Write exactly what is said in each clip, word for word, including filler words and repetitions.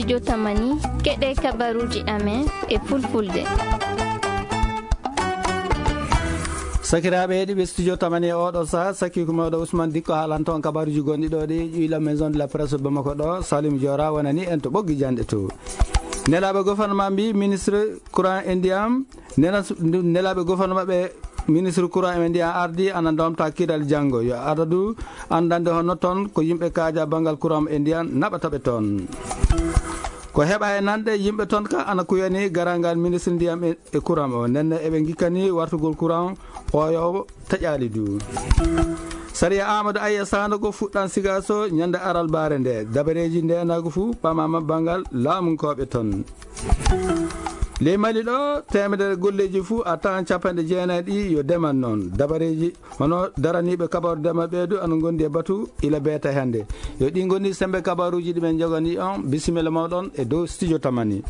Jotamani, keɗe kabaruuji amen e fulfulde. Sakiraaɓe heɗiiɓe Studio Tamani e oɗo saha, sakiiko mawɗo Ousmane Dikko haalanto on kabaruuji gonɗi ɗo ɗi ƴuyla Maison de la Presse Bamako ɗo, Salim Diora wonani en to ɓoggi janɗe to. Nelaaɓe gouvernement mbi ministre courant e ndiyam, nena s-, nelaaɓe gouvernement ɓe ministre courant e ndiyam ardi ana ndomta kiral janngo. Yo adadu andande hono ton ko yimɓe kaaja banngal courant e ndiyam naɓata ɓe ton. Ko heɓa e nanɗe yimɓe ton ka ana kuyani garangal ministre ndiyam e, e courant o. Nenne eɓe ngikkani wartugol courant o yo taƴaali du. Sariya Amadou Aya Sandogo fuɗɗan Sigaso ñande aral bare nde. Dabareji ndenagu fu ɓamama bangal laamunkooɓe ton. Ley Mali ɗo, temedere golleji fu a tawan capanɗe jeenayi ɗi yo deman noon. Dabareji hono daraniɓe kabaru dema ɓeedu ana gondi e batu ila beeta hande. Yo ɗi gondi sembe kabaruji ɗi men jogani on. Bisimilla mawɗon e dow Studio Tamani.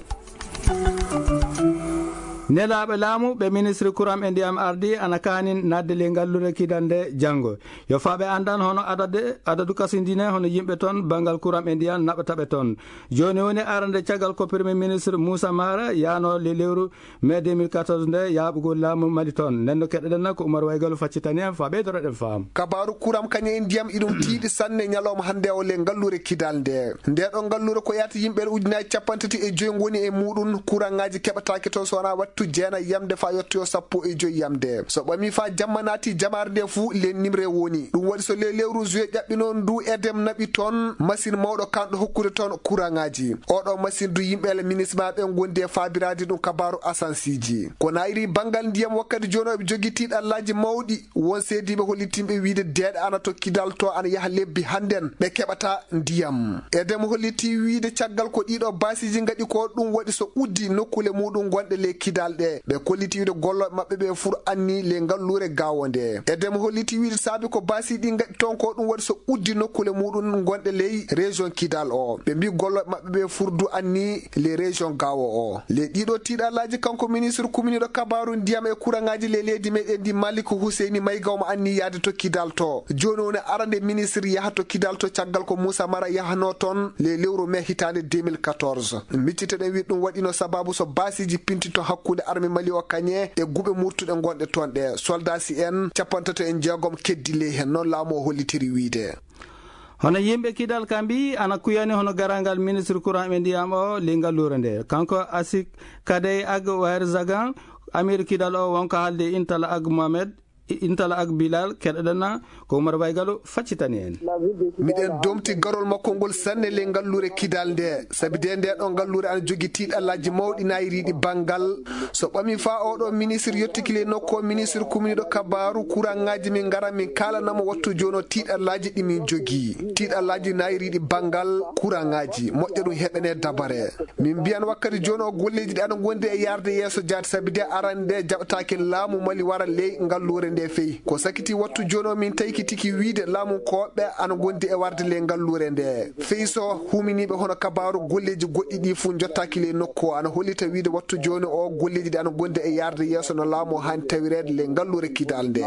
Nelaaɓe laamu ɓe ministre courant e ndiyam ardi ana kaanin nadde ley ngallure kidal nde janngo. Yo faaɓe anndan hono adade, adadu kasindine hono yimɓe toon banngal courant e ndiyam naɓataɓe toon. Jooni woni arande caggal ko Premier Ministre Moussa Mara yaano le lewru mai deux mille quatorze nde yaaɓugol laamu Mali toon. Nden no keɗoɗen ko Oumar Waygalu faccitani en faa ɓeydoroɗen faam. Kabaaru kuram kañe e ndiyam iɗum tiiɗi sanne ñalawma hannde o le ngallure kidal nde. Nde ɗo ngallure ko yaata yimɓe ujunaaji capanɗe tati e joyi ngoni e muuɗum. Kuraŋaaji keɓataake toon so wonaa wattu jeenayi yamde faa yottoyo sappo e joyi yamde. So ɓami faa jamma naati jamaare nde fuu le nimre woni. Ɗum waɗi so le lewru juillet ƴaɓɓino ndu edem naɓi toon machine mawɗo kanɗo hokkude toon kuraŋaaji. Oɗo machine du yimɓe le minisma ɓe ngondi e faabiraade ɗum kabaaru asansiiji. Ko naayiri banngal ndiyam wakkati jooni o ɓe jogii tiiɗallaaji mawɗi. Won seediiɓe hollitimɓe wiyde deeɗe ana to kidal to ana yaha lebbi hannden ɓe keɓata ndiyam. Edem holliti wiyde caggal ko ɗiɗo baasiiji ngaɗi ko ɗum waɗi so uddi nokkule muuɗum gonɗe ley kidal ɗe. Ɓe kolliti wiyde gollooɓe maɓɓe ɓe fur anni ley ngalluure gaawo nde. Edem holliti wiyde saabi ko baasi ɗi ngaɗi toon ko ɗum waɗi so uddi nokkule muuɗum gonɗe ley région kidal o. Ɓe mbi gollooɓe maɓɓe ɓe fur du anni ley région gaawo o. Ley ɗiɗo tiiɗallaaji kanko ministre kuminiiɗo kabaaru ndiyam e kuraŋaaji ley leydi meɗen ndi Malik Huseyni Mayga omo anni yaade to kidal to. Jooni woni arande ministre yaha to kidal to caggal ko Moussa Mara yahanoo toon ley lewru mai hitaande deux mille quatorze. Miccitoɗen wiyde ɗum waɗino sababu so baasiiji pintinto hakkunde arme Mali o kañe e guɓe murtuɗe gonɗe toon ɗe. Soldat si en capantato e jeegom keddi ley heen noon laamu o hollitiri wiyde. Hono yimɓe kidal ka mbi ana kuyani hono garangal ministre courant ɓe ndiyam o ley ngalluure nde. Kanko Asik Kadey Ag Wayr Zagan, amir kidal o wonko haalde Intala Ag Mohamed, Intala Ag Bilal, keɗoɗen na ko Oumar Baygalo faccitani en. Miɗen domti garol makko ngol sanne ley ngalluure kidal nde. Sabi de nde ɗo ngalluure ana jogi tiiɗallaaji mawɗi naayiriiɗi banngal. So ɓami faa oɗo ministre yottiki ley nokku o ministre kuminiiɗo kabaaru kuraŋaaji min ngara min kaalanamo wattu jooni o tiiɗallaaji ɗi min jogii. Tiiɗallaaji naayiriiɗi banngal kuraŋaaji moƴƴa ɗum heɓene dabare. Min mbiyan wakkati jooni o golleeji ɗi ana ngondi e yaarde yeeso jaati sabi de arande nde jaɓataake laamu Mali wara ley ngalluure nde fey. Ko sakiti wattu jooni o min taykitiki wiyde laamunkooɓe ana ngondi e warde ley ngalluure nde. Fey so huminiiɓe hono kabaaru golleeji goɗɗi ɗi fuu njottaaki ley nokku o ana hollita wiyde wattu jooni o golleeji ɗi ana ngondi e yaarde yeeso no laamu o haani tawireede ley ngalluure kidal nde.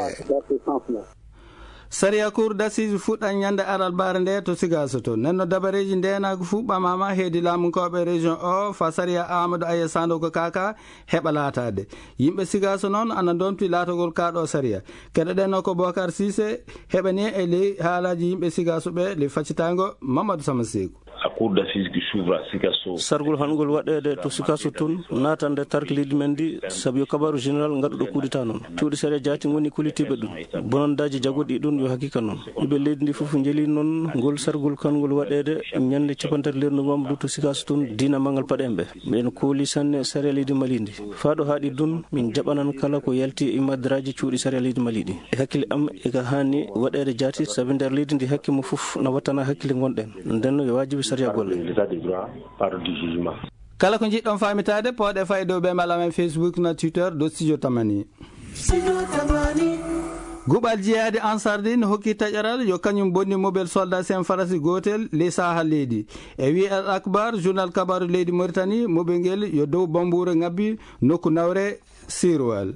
Sariya Cour d'assises fuɗɗan ñande alarbaare nde to Sigaso to. Nenno dabareeji ndeenaagu fuu ɓamaama heedi laamunkooɓe région o faa sariya Amadou Aya Sandogo Kaka heɓa laataade. Yimɓe Sigaso noon ana ndomti laatagol kaa ɗo sariya. Keɗoɗen o ko Bokar Sise heɓani e ley haalaaji yimɓe Sigaso ɓe ley faccitaango Mamadou Sama Seeku. La cour d'assises qui s'ouvre à Sikasso. Sargol hangol waɗeede to Sikasso tun naatande tarki leydi men ndi sabu yo kabaru général ngaɗuɗo kudita noon. Cuuɗi sariya jaati ngoni kollitiiɓe ɗum. Bonondaaji jagoɗi ɗum yo haqiqa noon. Ɓiɓɓe leydi ndi fof njeli noon ngol sargol kangol waɗeede ñande capanɗe tati lewru novembre to Sikasso tun diina mangal paɗen ɓe. Miɗen kooli sanne sariya leydi Mali ndi. Faa ɗo haaɗi ɗum min jaɓanan kala ko yalti e imadraaji cuuɗi sariya leydi Mali ɗi. E hakkille am eka haani waɗeede jaati sabi nder leydi ndi hakke mum fof na wattana hakkille ngonɗen. Nden no yo waajibi sariya golle. L'état de droit par du jugement. Kala ko njiɗɗon faamitaade, pooɗe faa e dow bemel amen Facebook na Twitter dow Studio Tamani. Guɓal jihaadi Ansar Din hokki taƴaral yo kañum bonni mobel soldat sen Farasi gootel ley saaha leydi. E wi'i Al Akbar, journal kabaru leydi Mauritanie, mobel ngel yo dow bambuure ngabbi nokku nawre Sirwal.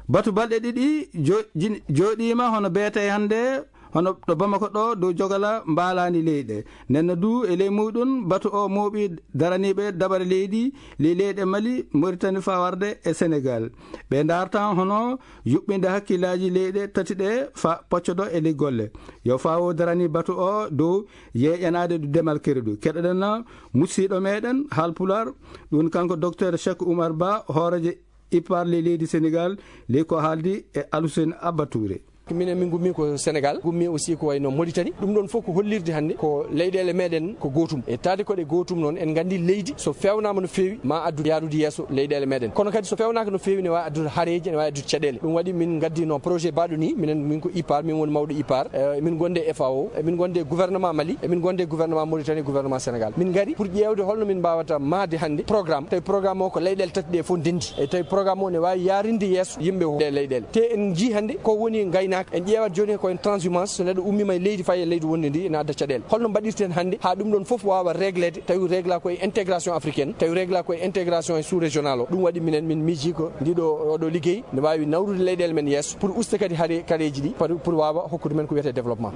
Batu balɗe ɗiɗi jo-, jin-, jooɗiima hono beetee hannde Hono ɗo Bamako ɗo, dow Jogala mbaalaani leyɗe. Nden no du e ley muuɗum, batu o mooɓi daraniiɓe dabare leydi, ley leyɗe Mali, Mauritanie faa warde e Senegal. Ɓe ndaartan hono yuɓɓinde hakkillaaji leyɗe tati ɗe faa poccodo e ley golle. Yo faa o darani batu o dow yeeƴanaade du demal keredu. Keɗoɗen na musiiɗo meɗen Haalpulaar, ɗum kanko Docteur Cheikh Oumar Ba, hooreejo IPAR ley leydi Senegal, ley ko haaldi e Alhussein Abba Touré. Minen min ngummi ko Senegal, ngummi aussi ko wayno Mauritanie. Ɗum ɗon fof ko hollirde hannde ko leyɗeele meɗen ko gootum. E taade koɗe gootum noon, en nganndi leydi so feewnaama no feewi, ma addu yaarude yeeso leyɗeele meɗen. Kono kadi so feewnaaka no feewi, ne waawi addude hareeji, ne waawi addude caɗeele. Ɗum waɗi min ngaddino projet baɗo ni, minen, min ko IPAR, min woni mawɗo IPAR, eh, min gonde FAO, e min gonde gouvernement Mali, e min gonde gouvernement Mauritanie, gouvernement Senegal. Min ngari pour ƴeewde holno min mbaawata mahde hannde programme. Tawi programme o ko leyɗeele tati ɗe fof ndenndi. E tawi programme o ne waawi yaarinde yeeso yimɓe ɗe leyɗeele. Te en njii hannde ko woni ngaynaaka. En ƴeewat jooni ko en transhumance, so neɗɗo ummiima e leydi fayi e leydi wonndi ndi, ene adda caɗeele. Holno mbaɗirten hannde haa ɗum ɗon fof waawa régleede, tawi régla ko e intégration africaine, tawi régla ko e intégration e sous-régional o. Ɗum waɗi minen min miiji ko ndiɗo, oɗo liggey ne waawi nawrude leyɗeele men yeeso pour usta kadi hare-, kareeji ɗi, pour, pour waawa hokkude men ko wiyetee développement.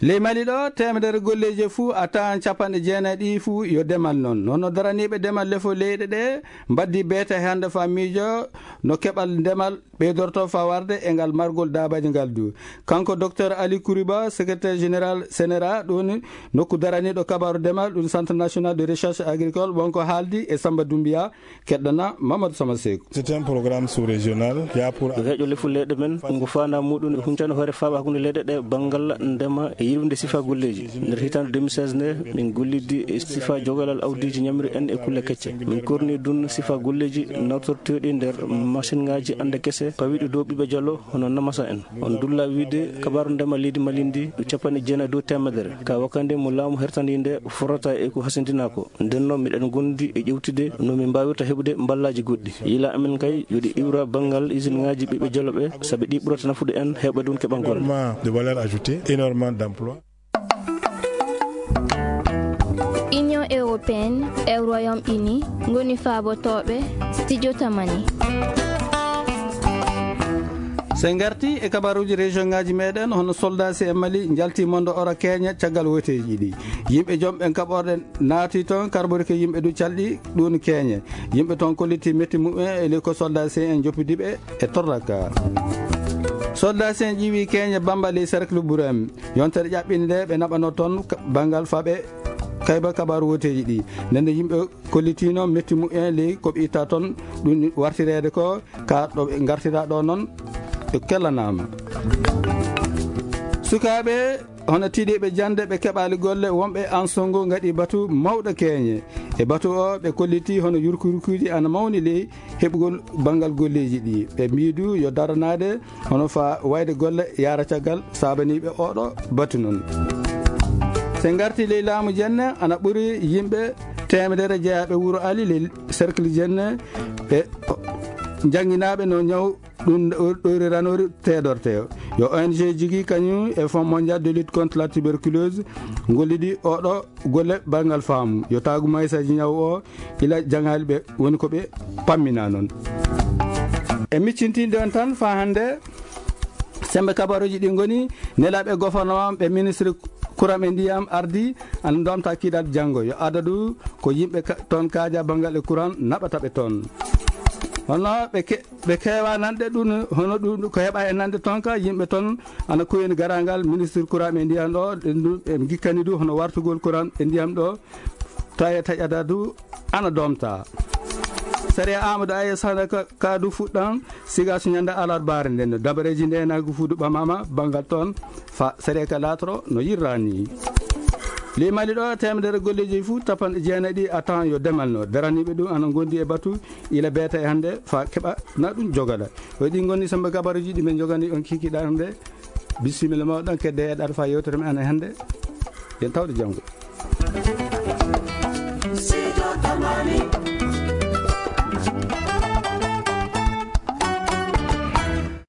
Ley Mali ɗo, teemedere golleeji fuu a tawan capanɗe jeenayi ɗi fuu yo demal noon. Noon no daraniiɓe demal lefo leyɗe ɗe mbaddi beete hannde faa miijo no keɓal ndemal ɓeydorto faa warde e ngal margol daabaaji ngal du. Kanko Docteur Ali Kouriba, secrétaire général CNRA, ɗum nokku daraniiɗo kabaaru demal, ɗum Centre National de Recherche Agricole, wonko haaldi e Samba Doumbia, keɗɗana Mamadou Sama Seeku. C'est un programme sous-régional, y a pour Ko heeƴo lefol leyɗe men, ngu faandaa muuɗum e huncande hoore faaɓa hakkunde leyɗe ɗe banngal ndema e yilwinde sifaa golleeji. Nder hitaande deux mille seize nde, min gollidi e sifaa jogalal awdiiji ñamri en e kulle kecce. Min korni dun sifaa golleeji nawtorteeɗi nder masinŋaaji annde kese pawiiɗi dow ɓiɓɓe jalo hono namasa en. On dulla wiide kabaaru ndema leydi Mali ndi ɗo capanɗe jeenayi dow teemedere. Ka wakande mo laamu hertandi nde forata e ko hasindinaa ko. Nden noon, miɗen ngondi e ƴewtude no min mbaawirta heɓude mballaaji goɗɗi. Yila amen kay, yo ɗi iwra banngal isinŋaaji ɓiɓɓe joloɓe, sabi ɗi ɓurata nafude en, heɓa ɗum keɓal golle. Énormément de valeur ajoutée, énormément d'emploi. Union européenne e Royaume-Uni ngoni faabotooɓe studio Tamani. So en ngarti e kabaruuji région ŋaaji meɗen, hono soldat C M Mali njalti mondo ora Kenya caggal woteeji ɗi. Yimɓe jom ɓen kaɓorɗe naati toon, karbori ko yimɓe du calɗi ɗum keñe. Yimɓe toon kolliti metti muɓɓen e ley ko soldat C N joppidiɓe e torraka. Soldat C N ƴiwi keñe Bamba ley cercle Burem. Yontere ƴaɓɓinde nde ɓe naɓano toon ka-, banngal faɓe kayba kabaaru woteeji ɗi. Nden nde yimɓe kollitino metti muɓɓen ley ko ɓe itta toon, ɗum wartireede ko ka ɗo ɓe ngartira ɗo noon, ɓe kellanaama. Sukaaɓe hono tiiɗiiɓe jannde ɓe keɓaali golle, wonɓe Ansongo ngaɗi batu mawɗo keñe. E batu o, ɓe kolliti hono yurkuyurkuuji ana mawni ley heɓugol banngal golleeji ɗi. Ɓe mbii du yo daranaade hono fa wayde golle yaara caggal saabaniiɓe oɗo batu noon. Se ngarti ley laamu jenne, ana ɓuri yimɓe teemedere jeyaaɓe wuro Ali ley cercle jenne, ɓe jannginaaɓe no ñaw ɗum ɗo-, ɗoyri ranori teedorte. Yo O N G jigi kañum e Fonds Mondial de lutte contre la tuberculose ngollidi oɗo golle banngal faamu. Yo taagu maysaji ñaw o ila jangaali ɓe woni ko ɓe pammina noon. E miccintinde on tan faa hannde, sembe kabaruji ɗi ngoni nelaaɓe gouvernement ɓe ministre courant e ndiyam ardi ana domta kiiɗal janngo. Yo adadu ko yimɓe ka-, toon kaaja banngal e courant naɓata ɓe toon. Hono ɓe ke-, ɓe keewa nanɗe ɗum, hono ɗum ko heɓa e nanɗe toon ka, yimɓe toon ana koyni garangal ministre courant e ndiyam ɗo, ɗen ɗum ɓe ngikkani du hono wartugol courant e ndiyam ɗo, tawi taƴata du ana domta. Sariya Amadou Aye Sanda ka, ka du fuɗɗan siga so ñande alarbaare nden no dabareji nde nagu fuudu ɓamama banngal toon fa sariya ka laatoro no yirrani. Ley Mali ɗo, teemedere golleeji fof, capanɗe jeenayi a tawan yo demal no. Daraniiɓe ɗum ana ngondi e batu ila beeta e hannde fa keɓa na ɗum jogada. O ɗi ngoni sembe kabaruji ɗi men jogani on kikiɗa hannde. Bisimilla mawɗo, kedde e ɗaɗa fa yewtere men hannde. Yen tawde janngo.